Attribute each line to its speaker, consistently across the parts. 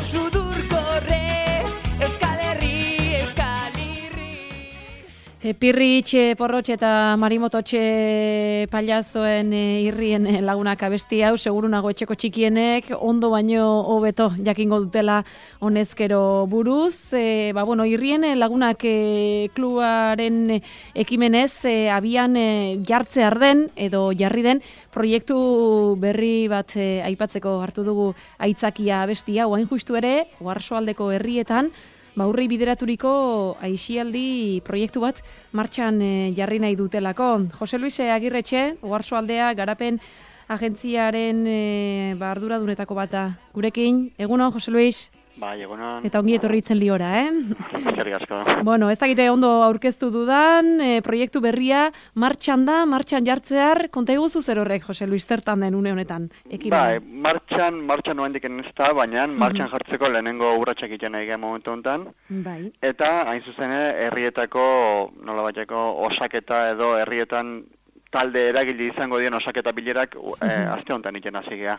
Speaker 1: sudurkorre, Euskal Herri,
Speaker 2: Pirritxe, Porrotxe eta Marimototxe pailazoen irrien lagunak abesti hau, seguru nago etxeko txikienek, ondo baino hobeto jakingo dutela honezkero buruz. Irrien lagunak klubaren ekimenez, abian jartzear den edo jarri den proiektu berri bat aipatzeko hartu dugu aitzakia abestia, oain justu ere, Oarsoaldeko herrietan, Urri bideraturiko aisialdi proiektu bat martxan jarri nahi dutelako. Jose Luis Agirretxe, Oarsoaldea garapen agentziaren arduradunetako bata gurekin. Egunon, Jose Luis?
Speaker 3: Bai, egunon.
Speaker 2: Eta ongi etorri itzen liora,
Speaker 3: Eskerrik asko.
Speaker 2: Ez dakite ondo aurkeztu dudan, proiektu berria martxan da, martxan jartzear, konta eguzu zer horrek, Jose Luis, zertan den une honetan?
Speaker 3: Bai, martxan noendik ez da, baina martxan jartzeko lehenengo urratsak egiten nahi momentu honetan.
Speaker 2: Bai.
Speaker 3: Eta, hain zuzen, herrietako, nolabaiteko osaketa edo herrietan talde eragile izango dien osaketa bilerak aste honetan iten hasi gea.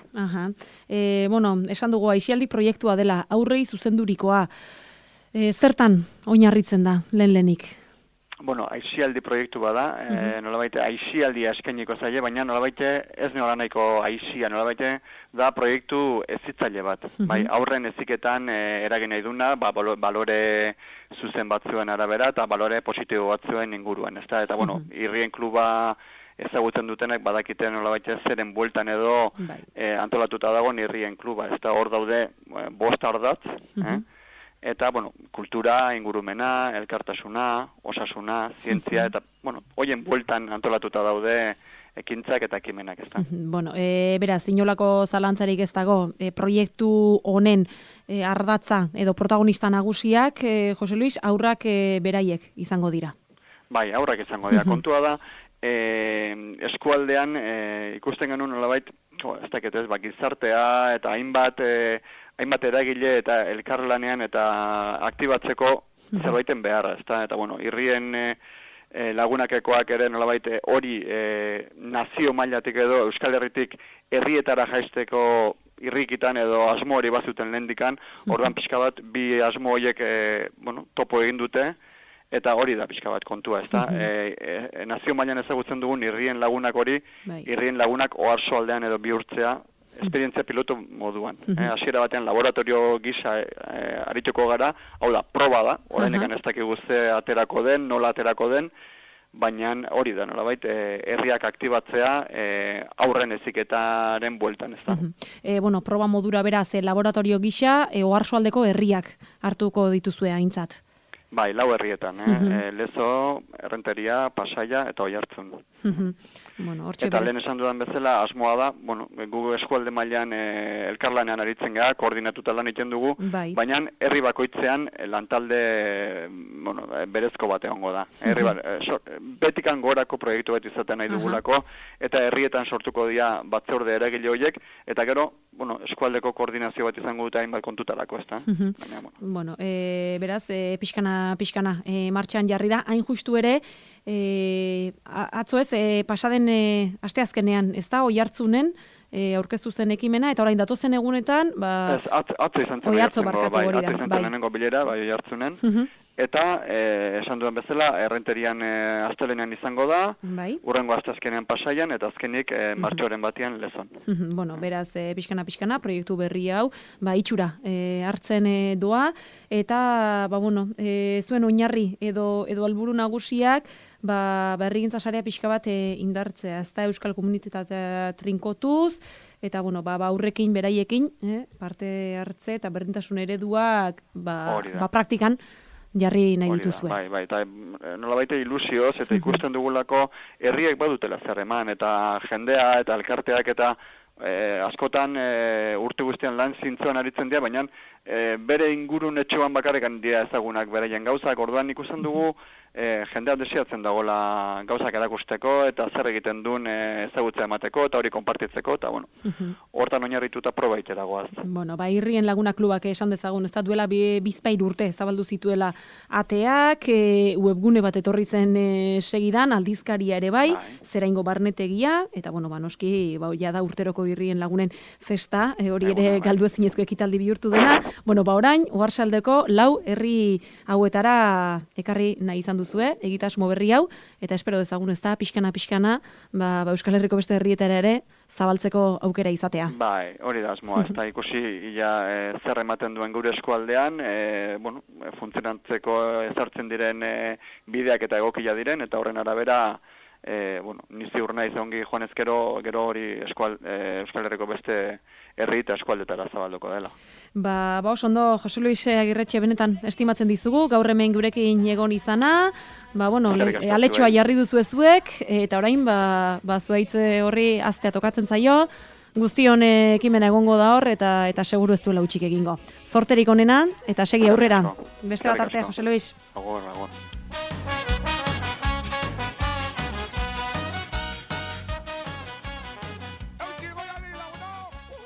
Speaker 2: Esan dugu aisialdi proiektua dela, aurrei zuzendurikoa. Zertan oinarritzen da, lehenik?
Speaker 3: Aisialdi proiektu bada, nolabaite aisialdia eskainiko zaie, baina nolabaite ez nola nahiko aisia, nolabaite da proiektu ezitzaile bat. Bai, aurren eziketan eragin nahi duna, balore zuzen batzuen arabera eta balore positibo batzuen inguruan, ezta? Eta irrien kluba ezagutzen dutenek badakite nolabaite zeren bueltan edo antolatuta dago irrien kluba, ezta? Hor daude 5 ardatz, eta, kultura, ingurumena, elkartasuna, osasuna, zientzia, eta, hoien bueltan antolatuta daude ekintzak eta ekimenak, ezta?
Speaker 2: Beraz, inolako zalantzarik ez dago, proiektu honen ardatza edo protagonista nagusiak, Jose Luis, aurrak beraiek izango dira.
Speaker 3: Bai, aurrak izango dira. Kontua da, eskualdean ikusten genuen nolabait, ez dakit ez, gizartea eta hainbat eragile eta elkarlanean eta aktibatzeko zerbaiten beharra, ezta? Eta irrien lagunakekoak ere nolabait hori nazio mailatik edo Euskal Herritik herrietara jaisteko irrikitan edo asmo hori bazuten lehendikan, orduan pixka bat bi asmo horiek topo egin dute, eta hori da pixka bat kontua, ezta? Nazio mailan ezagutzen dugun irrien lagunak hori, irrien lagunak Oarsoaldean edo bihurtzea, esperientzia piloto moduan. Hasiera batean laboratorio gisa arituko gara, hau da, proba da, orainekan ez dakigu ze aterako den, nola aterako den, baina hori da, nolabait, herriak aktibatzea aurren heziketaren bueltan, ezta?
Speaker 2: Proba modura beraz, laboratorio gisa, Oarsoaldeko herriak hartuko dituzue aintzat.
Speaker 3: Bai, 4 herrietan, Lezo, Errenteria, Pasaia eta Oiartzun. Eta lehen esan dudan bezala, asmoa da, gu eskualde mailan elkarlanean aritzen gara, koordinatuta lan egiten dugu, baina herri bakoitzean lantalde berezko bat egongo da. Betikan gorako proiektu bat izaten nahi dugulako, eta herrietan sortuko dira batzorde eragile horiek, eta gero, eskualdeko koordinazio bat izango dute hainbat kontutarako, ezta?
Speaker 2: Beraz, pixkana martxan jarri da, hain justu ere, atzo ez, pasaden asteazkenean, ez da, Oiartzunen, aurkeztu zen ekimena, eta orain datozen egunetan,
Speaker 3: atzo izan zen lehenengo bilera, Oiartzunen, eta esan duen bezala, Errenterian astelenean izango da, hurrengo asteazkenean Pasaian, eta azkenik martxoaren batean Lezon.
Speaker 2: Beraz, pixkana, proiektu berri hau, itxura hartzen doa, eta, zuen oinarri edo helburu nagusiak, herrigintza sarea pixka bat indartzea, ez da Euskal Komunitatea trinkotuz, eta aurrekin, beraiekin, parte hartze eta berdintasun ereduak praktikan jarri nahi dituzue.
Speaker 3: Bai, eta nolabaite ilusioz, eta ikusten dugulako herriek badutela zer eman, eta jendea eta elkarteak eta askotan urte guztian lan zintzoan aritzen dira, baina bere ingurun etxoan bakarrekan dira ezagunak beraien gauzak, orduan ikusten dugu jendea desiatzen dagoela gauzak erakusteko, eta zer egiten duen ezagutza emateko, eta hori konpartitzeko, eta hortan oinarrituta proba itera goaz.
Speaker 2: Irrien laguna klubak esan dezagun, ez da duela bizpahiru urte zabaldu zituela ateak, webgune bat etorri zen segidan, aldizkaria ere bai, zeraingo barnetegia, eta noski, jada urteroko Bilboko Irrien Lagunen festa, hori ere galdu ezinezko ekitaldi bihurtu dena. Bueno, orain Oarsoaldeko 4 herri hauetara ekarri nahi izan duzue, egitasmo berri hau, eta espero dezagun ezta pixkana, Euskal Herriko beste herrietara ere zabaltzeko aukera izatea.
Speaker 3: Bai, hori da asmoa, ez da ikusi zer ematen duen gure eskualdean, funtzionantzeko ezartzen diren bideak eta egokia diren, eta horren arabera, ni ziur naiz ongi joan ezkero, gero hori Euskal Herriko beste herri eta eskualdetara zabalduko dela.
Speaker 2: Oso ondo, Jose Luis Agirretxe benetan estimatzen dizugu, gaur hemen gurekin egon izana, aletxoa jarri duzu ezuek, eta orain, zuaitze horri aztea tokatzen zaio, guztion ekimena egongo da hor, eta seguru ez duela utxik egingo. Zorterik onenan, eta segi aurrera. Beste bat artea, Jose Luis.
Speaker 3: Agor.